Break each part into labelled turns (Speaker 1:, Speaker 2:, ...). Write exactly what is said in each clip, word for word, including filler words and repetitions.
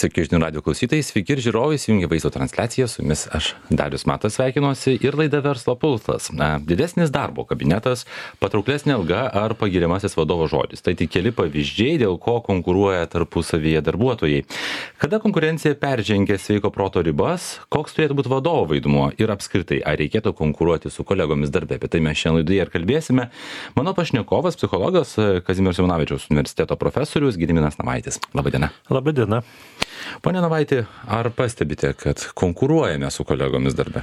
Speaker 1: Sveiki žinių radio klausytojai, sveiki ir žiūrovai, įsijungia vaizdo transliaciją, su jumis aš Darius Matas sveikinuosi ir laida Verslo pulsas. Na, didesnis darbo kabinetas, patrauklesnė alga ar pagiriamasis vadovo žodis. Tai tik keli pavyzdžiai, dėl ko konkuruoja tarpusavyje darbuotojai. Kada konkurencija peržengia sveiko proto ribas, koks turėtų būti vadovo vaidmuo ir apskritai, ar reikėtų konkuruoti su kolegomis darbe. Apie tai mes šiandien laidoje ir kalbėsime. Mano pašnekovas, psichologas Kazimiero Simonavičiaus universiteto profesorius Gediminas Navaitis. Labadiena.
Speaker 2: Labadiena.
Speaker 1: Pone Navaiti, ar pastebite, kad konkuruojame su kolegomis darbe?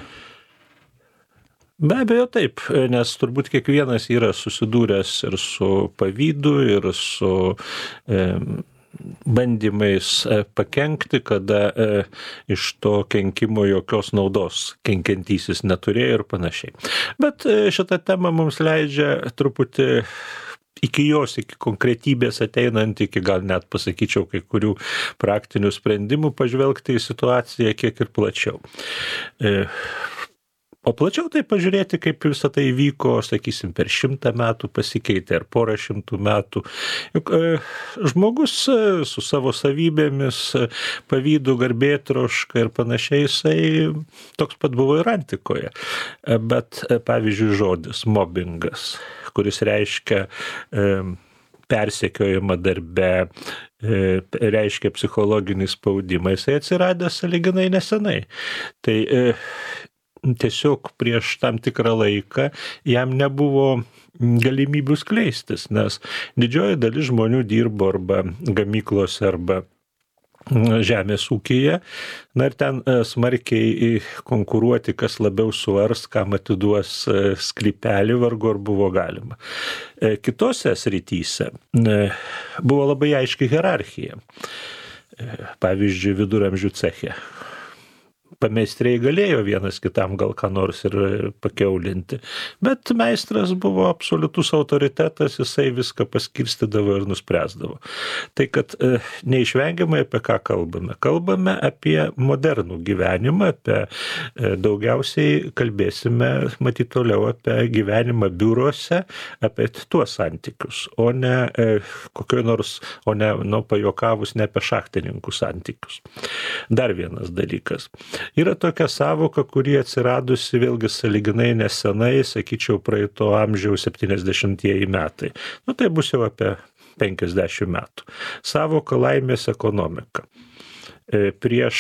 Speaker 2: Be abejo taip, nes turbūt kiekvienas yra susidūręs ir su pavydu, ir su e, bandymais e, pakenkti, kada e, iš to kenkimo jokios naudos kenkiantysis neturėjo ir panašiai. Bet e, šitą temą mums leidžia truputį iki jos, iki konkretybės ateinant, iki gal net pasakyčiau kai kurių praktinių sprendimų pažvelgti į situaciją kiek ir plačiau. E, o plačiau tai pažiūrėti, kaip visą tai vyko, sakysim, per šimtą metų pasikeitė ar porą šimtų metų. Juk e, žmogus e, su savo savybėmis, e, pavydu, garbėtroška ir panašiai, jisai toks pat buvo ir antikoje. E, bet, e, pavyzdžiui, žodis mobbingas, kuris reiškia e, persekiojimą darbe, e, reiškia psichologinį spaudimą, jisai atsiradęs sąlyginai nesenai. Tai e, tiesiog prieš tam tikrą laiką jam nebuvo galimybių skleistis, nes didžioji dalis žmonių dirbo arba gamyklose, arba žemės ūkyje, na ir ten smarkiai konkuruoti, kas labiau suars, kam atiduos sklypelį, vargu ar buvo galima. Kitose srityse buvo labai aiški hierarchija. Pavyzdžiui, viduramžių ceche. Pameistriai galėjo vienas kitam gal ką nors ir pakeulinti, bet meistras buvo absoliutus autoritetas, jisai viską paskirstydavo ir nuspręsdavo. Tai kad e, neišvengiamai apie ką kalbame? Kalbame apie modernų gyvenimą, apie e, daugiausiai kalbėsime, matyt, toliau apie gyvenimą biuruose, apie tuos santykius, o ne e, kokioj nors, o ne, nu, pajokavus, ne apie šachtininkų santykius. Dar vienas dalykas. Yra tokia savoka, kuri atsiradusi vėlgi sąlyginai nesenai, sakyčiau, praeito amžiaus septyniasdešimtieji metai. Nu, tai bus jau apie penkiasdešimt metų. Savoka laimės ekonomika. Prieš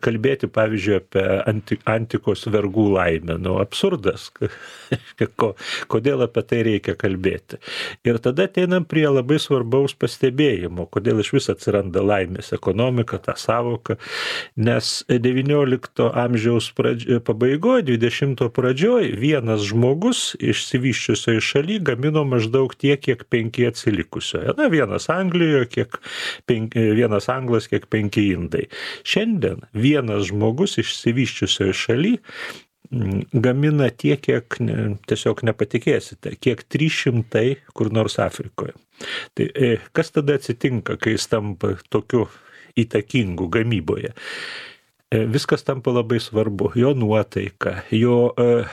Speaker 2: kalbėti, pavyzdžiui, apie anti, antikos vergų laimę. Nu, absurdas. Kodėl apie tai reikia kalbėti? Ir tada ateinam prie labai svarbaus pastebėjimo, kodėl iš vis atsiranda laimės ekonomika, ta savoka, nes devyniolikto amžiaus pradžio, pabaigoje, dvidešimto pradžioj vienas žmogus išsivysčiusioje šaly gamino maždaug tiek, kiek penki atsilikusioje. Na, vienas Anglijoje, kiek penki, vienas Anglas, kiek penki Indai. Šiandien vienas žmogus išsivysčiusioje šaly gamina tiek, kiek ne, tiesiog nepatikėsite, kiek trys šimtai kur nors Afrikoje. Tai kas tada atsitinka, kai jis tampa tokiu įtakingu gamyboje? Viskas tampa labai svarbu, jo nuotaika, jo e,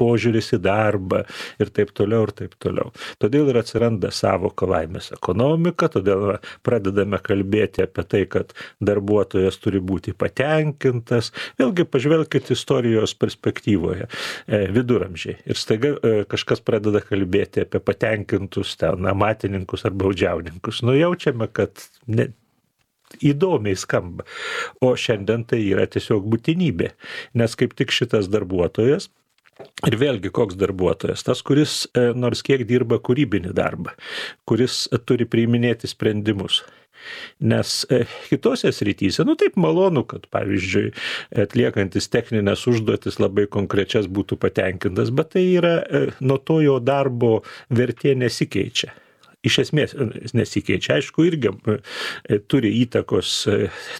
Speaker 2: požiūris į darbą ir taip toliau ir taip toliau. Todėl ir atsiranda savoka laimės ekonomika, todėl pradedame kalbėti apie tai, kad darbuotojas turi būti patenkintas. Vėlgi pažvelkite istorijos perspektyvoje, e, viduramžiai. Ir staiga e, kažkas pradeda kalbėti apie patenkintus ten amatininkus ar baudžiauninkus. Nu, jaučiame, kad ne, įdomiai skamba. O šiandien tai yra tiesiog būtinybė, nes kaip tik šitas darbuotojas, ir vėlgi koks darbuotojas, tas, kuris e, nors kiek dirba kūrybinį darbą, kuris turi priiminėti sprendimus. Nes e, kitose srityse, nu taip malonu, kad pavyzdžiui atliekantis techninės užduotis labai konkrečias būtų patenkintas, bet tai yra, e, nuo to jo darbo vertė nesikeičia. Iš esmės nesikeičia, aišku, irgi e, turi įtakos e,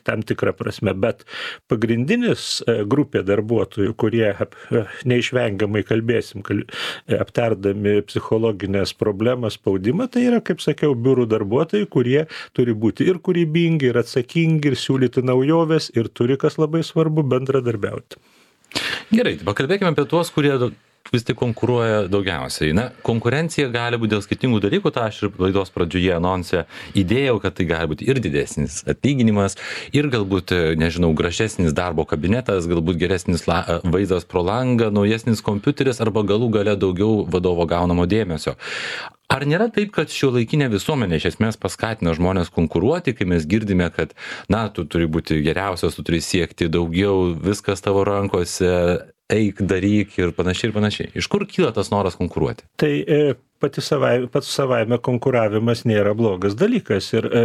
Speaker 2: tam tikrą prasme, bet pagrindinis e, grupė darbuotojų, kurie ap, e, neišvengiamai kalbėsim, kal, e, aptardami psichologinės problemas, spaudimą, tai yra, kaip sakiau, biurų darbuotojai, kurie turi būti ir kūrybingi, ir atsakingi, ir siūlyti naujoves, ir turi, kas labai svarbu, bendradarbiauti.
Speaker 1: Gerai, pakalbėkime apie tuos, kurie vis tik konkuruoja daugiausiai? Na, konkurencija gali būti dėl skirtingų dalykų, tą aš ir laidos pradžioje anonse įdėjau, kad tai gali būti ir didesnis atlyginimas, ir galbūt, nežinau, gražesnis darbo kabinetas, galbūt geresnis la, vaizdas pro langą, naujesnis kompiuteris arba galų gale daugiau vadovo gaunamo dėmesio. Ar nėra taip, kad šiuolaikinė visuomenė iš esmės paskatina žmonės konkuruoti, kai mes girdime, kad, na, tu turi būti geriausias, tu turi siekti daugiau, viskas tavo rankose, eik, daryk ir panašiai ir panašiai. Iš kur kyla tas noras konkuruoti?
Speaker 2: Tai e, pati savai, pats savaime konkuravimas nėra blogas dalykas ir e,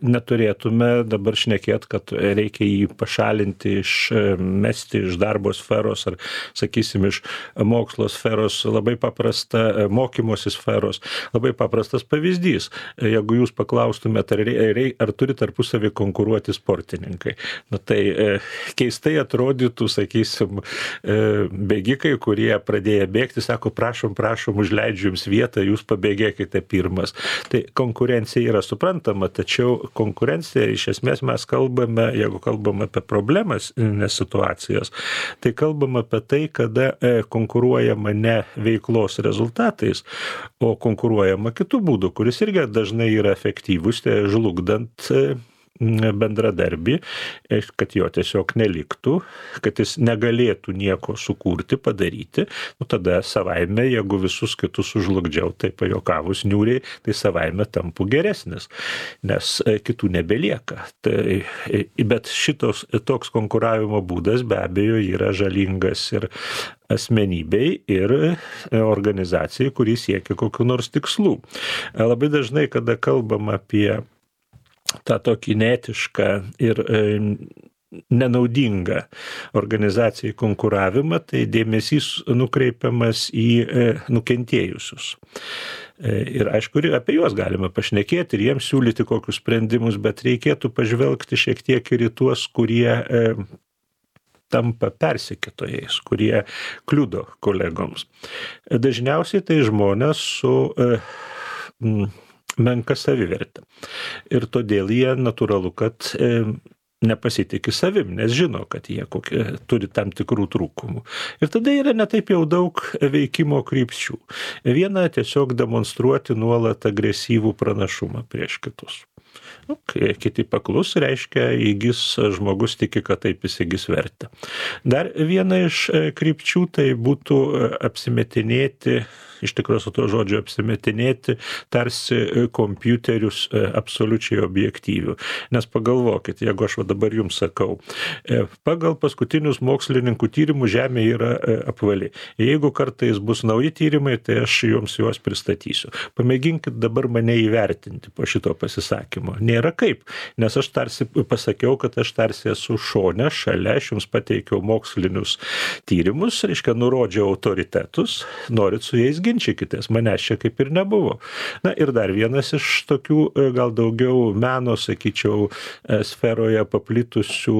Speaker 2: neturėtume dabar šnekėti, kad reikia jį pašalinti, iš, e, mesti iš darbo sferos ar, sakysim, iš mokslo sferos, labai paprasta, e, mokymosi sferos, labai paprastas pavyzdys. E, jeigu jūs paklaustumėte, ar, ar, ar turi tarpusavį konkuruoti sportininkai, na, tai e, keistai atrodytų, sakysim, e, bėgikai, kurie pradėję bėgti, sako, prašom, prašom, užleidžiu jums vietą, jūs pabėgėkite pirmas. Tai konkurencija yra suprantama, tačiau konkurencija iš esmės mes kalbame, jeigu kalbame apie problemas, nes situacijas, tai kalbame apie tai, kada konkuruojama ne veiklos rezultatais, o konkuruojama kitų būdų, kuris irgi dažnai yra efektyvus, tai žlugdant bendradarbį, kad jo tiesiog neliktų, kad jis negalėtų nieko sukurti, padaryti, nu tada savaime, jeigu visus kitus sužlugdžiau, tai pajokavus niūriai, tai savaime tampu geresnis, nes kitų nebelieka. Tai, bet šitos, toks konkuravimo būdas be abejo yra žalingas ir asmenybei ir organizacijai, kuri siekia kokių nors tikslų. Labai dažnai, kada kalbam apie tą tokį neetišką ir e, nenaudingą organizacijai konkuravimą, tai dėmesys nukreipiamas į e, nukentėjusius. E, ir aišku, apie juos galime pašnekėti ir jiems siūlyti kokius sprendimus, bet reikėtų pažvelgti šiek tiek ir į tuos, kurie e, tampa persekiotojais, kurie kliudo kolegoms. Dažniausiai tai žmonės su e, m, menka savivertė. Ir todėl jie natūralu, kad e, nepasitikė savim, nes žino, kad jie kokie, turi tam tikrų trūkumų. Ir tada yra netaip jau daug veikimo krypčių. Viena tiesiog demonstruoti nuolat agresyvų pranašumą prieš kitus. Nu, kiti paklus, reiškia, įgis žmogus tiki, kad taip įsigis vertę. Dar viena iš krypčių tai būtų apsimetinėti, iš tikrųjų su to žodžiu apsimetinėti, tarsi kompiuterius absoliučiai objektyvių. Nes pagalvokit, jeigu aš va dabar jums sakau, pagal paskutinius mokslininkų tyrimų Žemė yra apvali. Jeigu kartais bus nauji tyrimai, tai aš jums juos pristatysiu. Pamėginkit dabar mane įvertinti po šito pasisakymo. Nėra kaip, nes aš tarsi pasakiau, kad aš tarsi esu šone, šalia, aš jums pateikiau mokslinius tyrimus, reiškia, nurodžiau autoritetus, norit su jais ginčykitės, manęs čia kaip ir nebuvo. Na ir dar vienas iš tokių gal daugiau meno, sakyčiau, sferoje paplitusių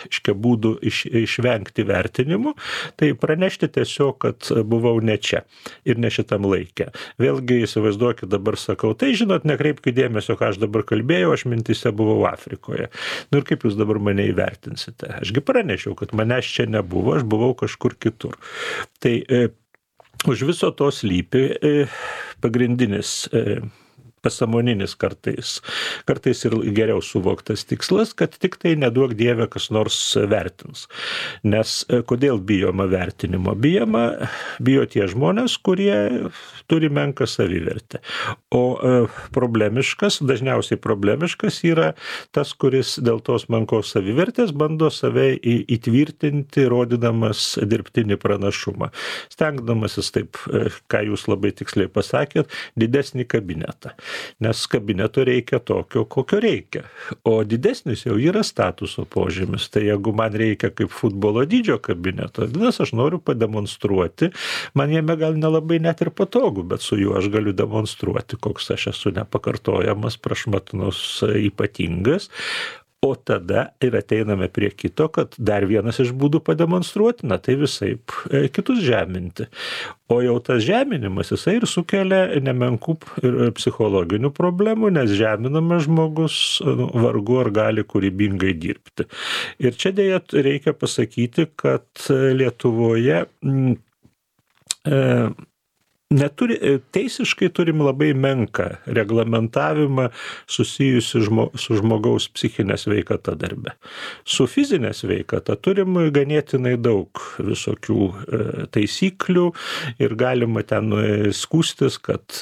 Speaker 2: iškia būdų iš, išvengti vertinimų, tai pranešti tiesiog, kad buvau ne čia ir ne šitam laikė. Vėlgi įsivaizduokit, dabar sakau, tai žinot, nekreipkite dėmesio, ką aš dabar kalbėjau, aš mintise buvau Afrikoje. Nu ir kaip jūs dabar mane įvertinsite? Ašgi pranešiau, kad manęs čia nebuvo, aš buvau kažkur kitur. Tai e, už viso to slypi e, pagrindinis e, pasąmoninis kartais, kartais ir geriau suvoktas tikslas, kad tik tai neduok Dieve kas nors vertins. Nes kodėl bijoma vertinimo? Bijoma, bijo tie žmonės, kurie turi menką savivertę. O problemiškas, dažniausiai problemiškas yra tas, kuris dėl tos menkos savivertės bando save įtvirtinti, rodydamas dirbtinį pranašumą. Stengdamasis taip, ką jūs labai tiksliai pasakėt, didesnį kabinetą. Nes kabineto reikia tokio, kokio reikia. O didesnis jau yra statuso požymis. Tai jeigu man reikia kaip futbolo dydžio kabineto, nes aš noriu pademonstruoti, man jame gal nelabai net ir patogu, bet su juo aš galiu demonstruoti, koks aš esu nepakartojamas, prašmatnus, ypatingas. O tada ir ateiname prie kito, kad dar vienas iš būdų pademonstruoti, na tai visaip e, kitus žeminti. O jau tas žeminimas, jisai ir sukelia nemenkų ir psichologinių problemų, nes žeminamas žmogus nu, vargu ar gali kūrybingai dirbti. Ir čia dėja reikia pasakyti, kad Lietuvoje m, neturi, teisiškai turim labai menką reglamentavimą susijusi žmo, su žmogaus psichinė sveikata darbe. Su fizinė sveikata turim ganėtinai daug visokių taisyklių ir galima ten skūstis, kad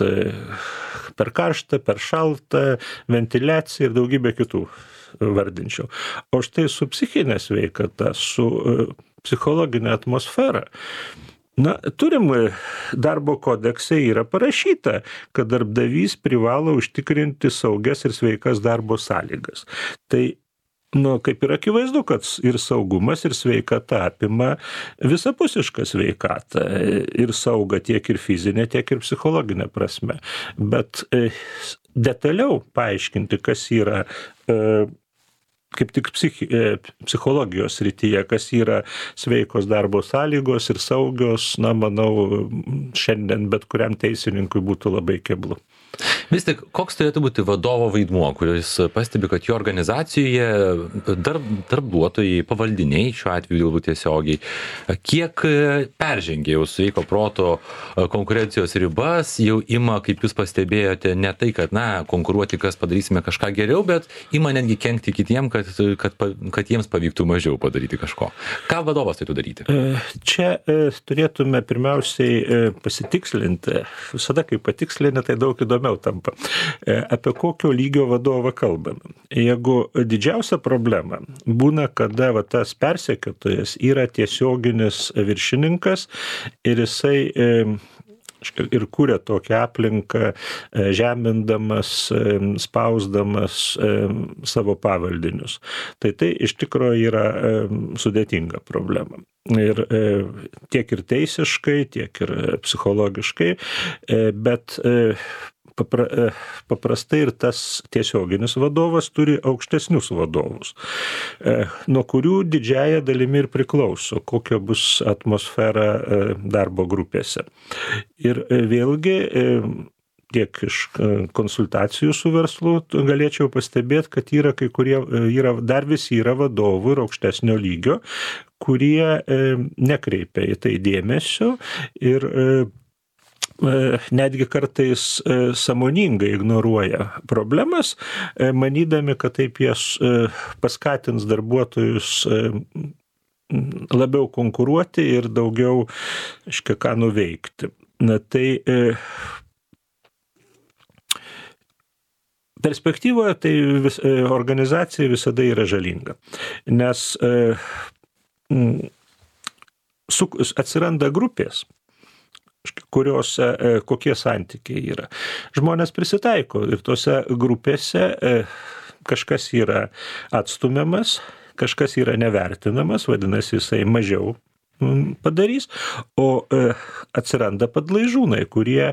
Speaker 2: per karštą, per šaltą, ventiliaciją ir daugybę kitų vardinčiau. O štai su psichinė sveikata, su psichologinė atmosfera, na, turim darbo kodekse yra parašyta, kad darbdavys privalo užtikrinti saugias ir sveikas darbo sąlygas. Tai, nu, kaip ir akivaizdu, kad ir saugumas, ir sveikata apima visapusišką sveikatą ir saugą tiek ir fizinę, tiek ir psichologinę prasme. Bet e, detaliau paaiškinti, kas yra e, kaip tik psichi, psichologijos srityje, kas yra sveikos darbo sąlygos ir saugios, na, manau, šiandien bet kuriam teisininkui būtų labai keblu.
Speaker 1: Vis tik, koks turėtų būti vadovo vaidmuo, kuris pastebi, kad jo organizacijoje darb, darbuotojai, pavaldiniai, šiuo atveju galbūt tiesiogiai, kiek peržengia jau sveiko proto konkurencijos ribas, jau ima, kaip jūs pastebėjote, ne tai, kad, na, konkuruoti, kas padarysime kažką geriau, bet ima netgi kenkti kitiem, kad, kad, kad jiems pavyktų mažiau padaryti kažko. Ką vadovas turėtų daryti?
Speaker 2: Čia turėtume pirmiausiai pasitikslinti, visada kai patikslini, tai daug įdomiau tampa. Apie kokio lygio vadovą kalbame. Jeigu didžiausia problema būna, kada va, tas persekiotojas yra tiesioginis viršininkas ir jisai ir kūrė tokią aplinką, žemindamas, spausdamas savo pavaldinius. Tai tai iš tikrųjų yra sudėtinga problema. Ir tiek ir teisiškai, tiek ir psichologiškai, bet Papra, paprastai ir tas tiesioginis vadovas turi aukštesnius vadovus, nuo kurių didžiąja dalimi ir priklauso, kokia bus atmosfera darbo grupėse. Ir vėlgi, tiek iš konsultacijų su verslu galėčiau pastebėti, kad yra kai kurie, yra, dar vis yra vadovų ir aukštesnio lygio, kurie nekreipia į tai dėmesio ir netgi kartais sąmoningai ignoruoja problemas, manydami, kad taip jas paskatins darbuotojus labiau konkuruoti ir daugiau, aiškiai, ką nuveikti. Na, tai perspektyvoje tai vis, organizacija visada yra žalinga, nes su, atsiranda grupės, kuriuose kokie santykiai yra. Žmonės prisitaiko ir tose grupėse kažkas yra atstumiamas, kažkas yra nevertinamas, vadinasi, jisai mažiau padarys, o atsiranda padlaižūnai, kurie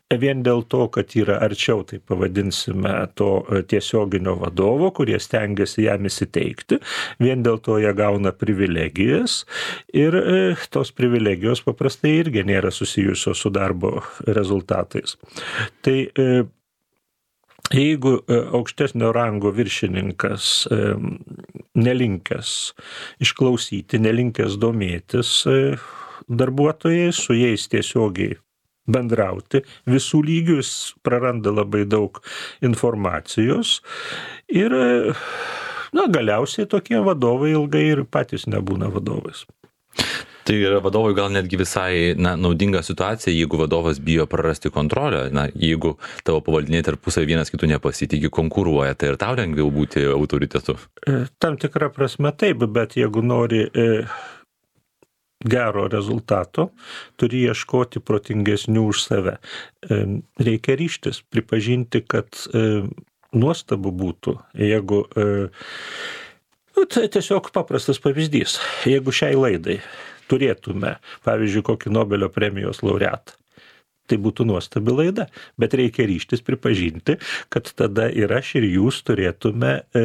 Speaker 2: vien dėl to, kad yra arčiau, tai pavadinsime, to tiesioginio vadovo, kurie stengiasi jam įsiteikti, vien dėl to jie gauna privilegijas ir tos privilegijos paprastai irgi nėra susijusios su darbo rezultatais. Tai jeigu aukštesnio rango viršininkas nelinkęs išklausyti, nelinkęs domėtis darbuotojais, su jais tiesiogiai bendrauti, visų lygių jis praranda labai daug informacijos ir, na, galiausiai tokie vadovai ilgai ir patys nebūna vadovais.
Speaker 1: Tai yra vadovui gal netgi visai, na, naudinga situacija, jeigu vadovas bijo prarasti kontrolę, na, jeigu tavo pavaldiniai tarpusavy vienas kitų nepasitikė, konkuruoja, tai ir tau lengviau būti autoritetu.
Speaker 2: Tam tikra prasme taip, bet jeigu nori gero rezultato, turi ieškoti protingesnių už save. Reikia ryžtis, pripažinti, kad nuostabu būtų, jeigu, nu, tai tiesiog paprastas pavyzdys, jeigu šiai laidai turėtume, pavyzdžiui, kokį Nobelio premijos laureatą, tai būtų nuostabi laida, bet reikia ryžtis pripažinti, kad tada ir aš ir jūs turėtume e,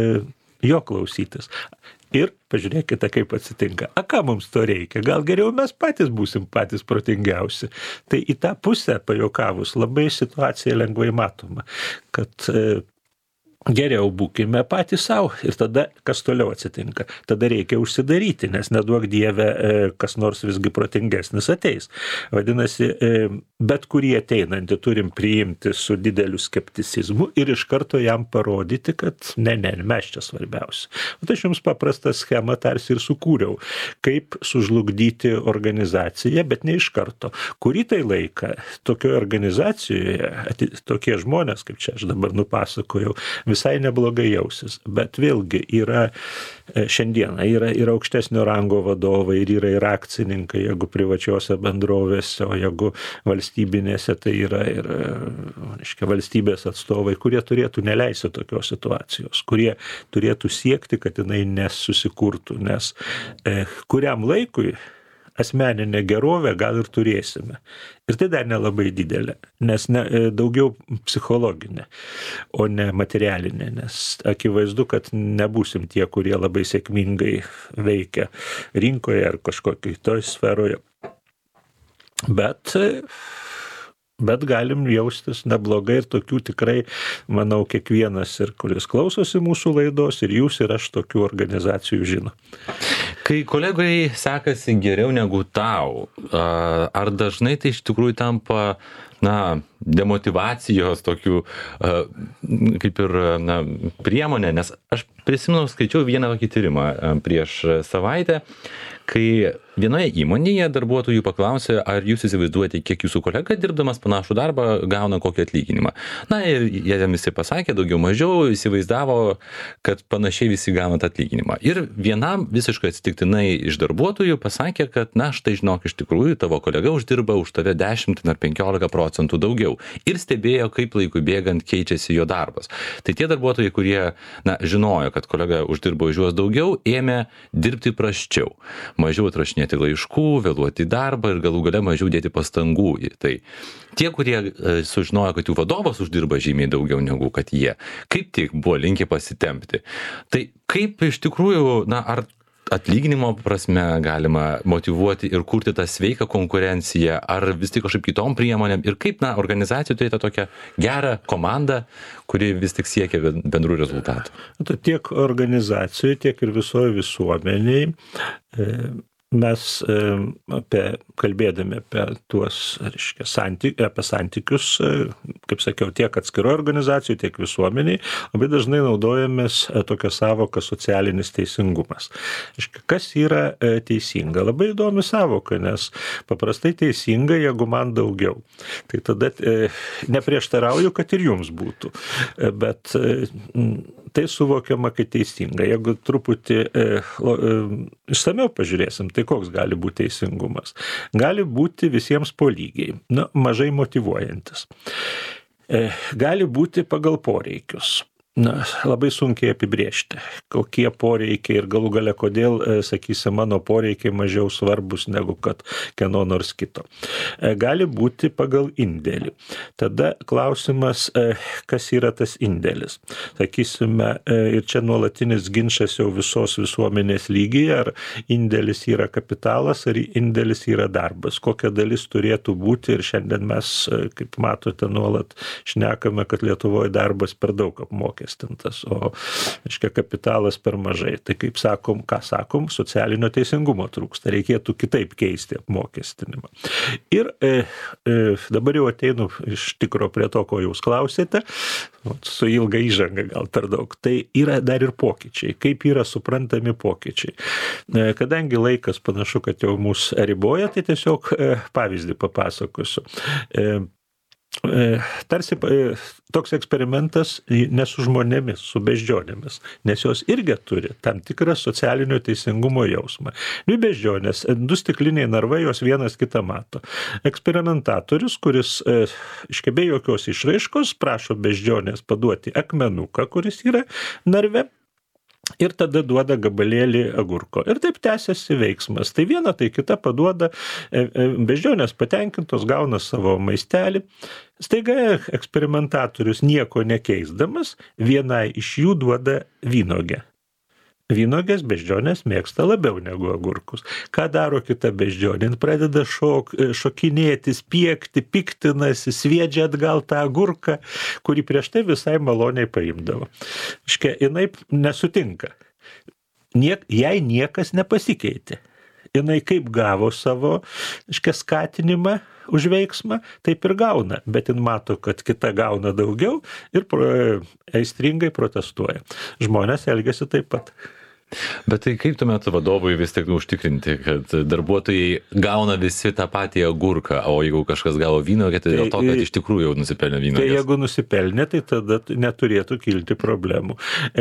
Speaker 2: jo klausytis. Ir pažiūrėkite, kaip atsitinka. A, ką mums to reikia? Gal geriau mes patys būsim patys protingiausi. Tai į tą pusę, pajuokavus, labai situacija lengvai matoma, kad e, geriau būkime patys savo ir tada kas toliau atsitinka. Tada reikia užsidaryti, nes neduok Dieve, kas nors visgi protingesnis ateis. Vadinasi, bet kurį ateinantį turim priimti su dideliu skepticizmu ir iš karto jam parodyti, kad ne, ne, mes čia svarbiausi. O tai aš jums paprastą schemą tarsi ir sukūriau, kaip sužlugdyti organizaciją, bet ne iš karto. Kurį tai laiką tokioje organizacijoje tokie žmonės, kaip čia aš dabar nupasakojau, visai neblogai jausis, bet vėlgi yra šiandieną, yra ir aukštesnio rango vadovai, ir yra ir akcininkai, jeigu privačiose bendrovėse, o jeigu valstybinėse, tai yra ir reiškia, valstybės atstovai, kurie turėtų neleisti tokios situacijos, kurie turėtų siekti, kad jinai nesusikurtų, nes e, kuriam laikui asmeninę gerovę gal ir turėsime. Ir tai dar nelabai didelė, nes ne, daugiau psichologinė, o ne materialinė, nes akivaizdu, kad nebūsim tie, kurie labai sėkmingai veikia rinkoje ar kažkokiai toj sferoje. Bet, bet galim jaustis neblogai ir tokių tikrai, manau, kiekvienas, ir kuris klausosi mūsų laidos, ir jūs, ir aš tokių organizacijų žino.
Speaker 1: Kai kolegai sekasi geriau negu tau, ar dažnai tai iš tikrųjų tampa, na, demotyvacijos tokių, kaip ir, na, priemonė, nes aš prisimenu, skaičiau vieną tokį tyrimą prieš savaitę, kai vienoje įmonėje darbuotojų paklausė, ar jūs įsivaizduojate, kiek jūsų kolega dirbdamas panašų darbą gauna kokį atlyginimą. Na ir jie visi pasakė, daugiau mažiau įsivaizdavo, kad panašiai visi gauna tą atlyginimą. Ir vienam visiškai atsitiktinai iš darbuotojų pasakė, kad na štai žinok, iš tikrųjų tavo kolega uždirba už tave dešimt ar penkiolika procentų daugiau. Ir stebėjo, kaip laikui bėgant keičiasi jo darbas. Tai tie darbuotojai, kurie na, žinojo, kad kolega uždirbo už juos daugiau, ėmė dirbti prasčiau. Mažiau atrašinėti laiškų, vėluoti į darbą ir galų gale mažiau dėti pastangų į tai. Tie, kurie e, sužinojo, kad jų vadovas uždirba žymiai daugiau negu kad jie, kaip tik buvo linkę pasitempti. Tai kaip iš tikrųjų, na, ar atlyginimo prasme galima motyvuoti ir kurti tą sveiką konkurenciją, ar vis tik kažkaip kitom priemonėm ir kaip, na, organizacija turėtų tokią gerą komandą, kuri vis tik siekia bendrų rezultatų.
Speaker 2: Tiek organizacijai, tiek ir visoje visuomeniai mes apie, kalbėdami apie tuos, reiškia, santyk, apie santykius, kaip sakiau, tiek atskiroj organizacijų, tiek visuomeniai, labai dažnai naudojamės tokią savoką socialinis teisingumas. Reiškia, kas yra teisinga? Labai įdomi savoka, nes paprastai teisinga, jeigu man daugiau. Tai tada neprieštarauju, kad ir jums būtų. Bet tai suvokiama, kad teisinga. Jeigu truputį e, e, išsamiau pažiūrėsim, tai koks gali būti teisingumas? Gali būti visiems po lygiai, nu, mažai motyvuojantis. E, gali būti pagal poreikius. Na, labai sunkiai apibrėžti, kokie poreikiai ir galų gale kodėl, sakysim, mano poreikiai mažiau svarbus negu kad kieno nors kito. Gali būti pagal indėlį. Tada klausimas, kas yra tas indėlis. Sakysime, ir čia nuolatinis ginčas jau visos visuomenės lygyje, ar indėlis yra kapitalas, ar indėlis yra darbas. Kokia dalis turėtų būti ir šiandien mes, kaip matote, nuolat šnekame, kad Lietuvoje darbas per daug apmokė. O, aiškia, kapitalas per mažai. Tai kaip sakom, ką sakom, socialinio teisingumo trūksta. Reikėtų kitaip keisti apmokestinimą. Ir e, e, dabar jau ateinu iš tikro prie to, ko jūs klausėte, su ilga įžanga gal per daug. Tai yra dar ir pokyčiai. Kaip yra suprantami pokyčiai. E, kadangi laikas panašu, kad jau mus riboja, tai tiesiog e, pavyzdį papasakosiu. E, Tarsi toks eksperimentas ne su žmonėmis, su beždžionėmis, nes jos irgi turi tam tikrą socialinio teisingumo jausmą. Dvi beždžionės, du stikliniai narvai, jos vienas kitą mato. Eksperimentatorius, kuris iške be jokios išraiškos prašo beždžionės paduoti akmenuką, kuris yra narve, ir tada duoda gabalėlį agurko. Ir taip tęsiasi veiksmas. Tai viena, tai kita paduoda, beždžionės patenkintos gauna savo maistelį. Staiga eksperimentatorius nieko nekeisdamas, vienai iš jų duoda vynogę. Vynogės beždžionės mėgsta labiau negu agurkus. Ką daro kita beždžionė? Jin pradeda šok, šokinėti, spiekti, piktinasi, sviedžia atgal tą agurką, kurį prieš tai visai maloniai paimdavo. Iškia, jinai nesutinka. Niek, jai niekas nepasikeitė. Jinai kaip gavo savo iškia, skatinimą už veiksmą, taip ir gauna, bet jin mato, kad kita gauna daugiau ir pro, aistringai protestuoja. Žmonės elgiasi taip pat.
Speaker 1: Bet tai kaip tuomet vadovui vis tik užtikrinti, kad darbuotojai gauna visi tą patį agurką, o jeigu kažkas gavo vynuogę, tai dėl to, kad iš tikrųjų jau nusipelnė vynuogės?
Speaker 2: Tai jeigu nusipelnė, tai tada neturėtų kilti problemų.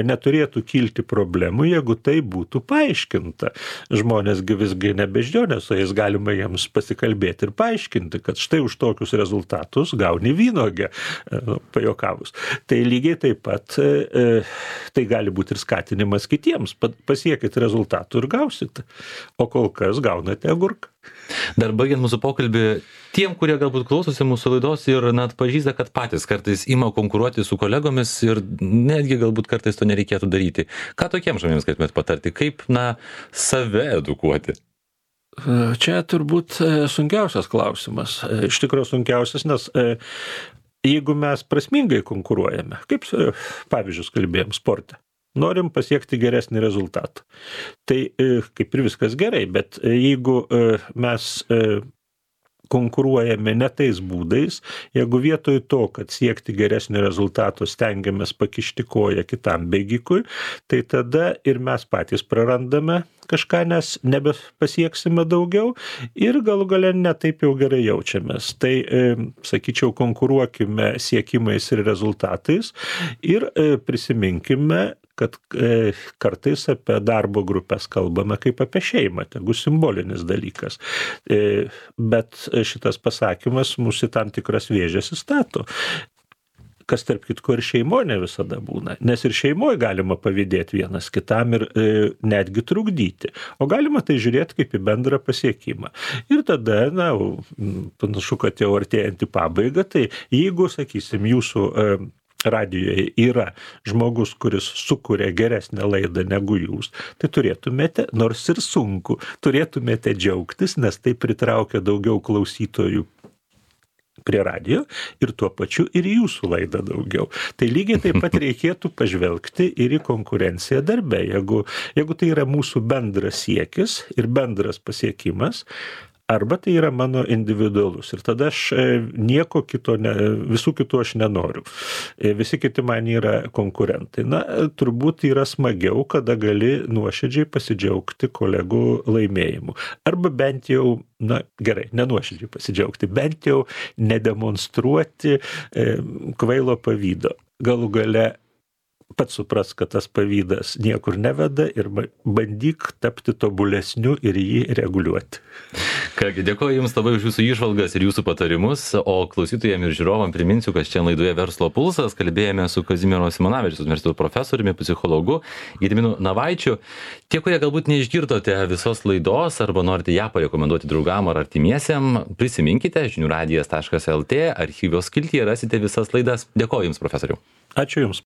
Speaker 2: Neturėtų kilti problemų, jeigu tai būtų paaiškinta. Žmonėsgi visgi ne beždžionės, o jais galima jiems pasikalbėti ir paaiškinti, kad štai už tokius rezultatus gauni vynuogę, pajokavus. Tai lygiai taip pat tai gali būti ir skatinimas kitiems. Pasiekit rezultatų ir gausit, o kol kas gaunate agurką.
Speaker 1: Dar baigiant mūsų pokalbį, tiem, kurie galbūt klausosi mūsų laidos ir net pažįsta, kad patys kartais ima konkuruoti su kolegomis ir netgi galbūt kartais to nereikėtų daryti. Ką tokiems žmonėms galėtumėt patarti? Kaip, na, save edukuoti?
Speaker 2: Čia turbūt sunkiausias klausimas. Iš tikrųjų sunkiausias, nes jeigu mes prasmingai konkuruojame, kaip pavyzdžius kalbėjom sporte, norim pasiekti geresnį rezultatą. Tai kaip ir viskas gerai, bet jeigu mes konkuruojame ne tais būdais, jeigu vietoj to, kad siekti geresnio rezultato stengiamės pakišti koją kitam bėgikui, tai tada ir mes patys prarandame kažką, nes nebepasieksime daugiau ir galų gale ne taip jau gerai jaučiamės. Tai, sakyčiau, konkuruokime siekimais ir rezultatais ir prisiminkime, kad kartais apie darbo grupės kalbame kaip apie šeimą, tegu simbolinis dalykas. Bet šitas pasakymas mus į tam tikras vėžes įstato. Kas tarp kitko ir šeimoje ne visada būna, nes ir šeimoje galima pavydėti vienas kitam ir e, netgi trukdyti, o galima tai žiūrėti kaip į bendrą pasiekimą. Ir tada, na, panašu, kad jau artėjant į pabaigą, tai jeigu, sakysim, jūsų e, radijoje yra žmogus, kuris sukuria geresnę laidą negu jūs, tai turėtumėte, nors ir sunku, turėtumėte džiaugtis, nes tai pritraukia daugiau klausytojų prie radijo ir tuo pačiu ir jūsų laidą daugiau. Tai lygiai taip pat reikėtų pažvelgti ir į konkurenciją darbe. Jeigu, jeigu tai yra mūsų bendras siekis ir bendras pasiekimas, arba tai yra mano individualus. Ir tada aš nieko kito, ne, visų kitų aš nenoriu. Visi kiti man yra konkurentai. Na, turbūt yra smagiau, kada gali nuoširdžiai pasidžiaugti kolegų laimėjimu. Arba bent jau, na gerai, nenuoširdžiai pasidžiaugti, bent jau nedemonstruoti e, kvailo pavydo. Galų gale pats supras, kad tas pavydas niekur neveda ir bandyk tapti tobulesniu ir jį reguliuoti.
Speaker 1: Kągi, dėkoju Jums labai už Jūsų įžvalgas ir Jūsų patarimus, o klausytojams ir žiūrovam priminsiu, kad šiandien laidoje Verslo pulsas kalbėjome su Kazimiero Simonavičiaus universiteto profesoriumi, psichologu Gediminu Navaičiu. Tie, kurie galbūt neišgirdote visos laidos arba norite ją parekomenduoti draugam ar artimiesiem, prisiminkite žinių radijas taškas el tė, archyvos skiltyje rasite visas laidas. Dėkoju Jums, profesoriau.
Speaker 2: Ačiū Jums.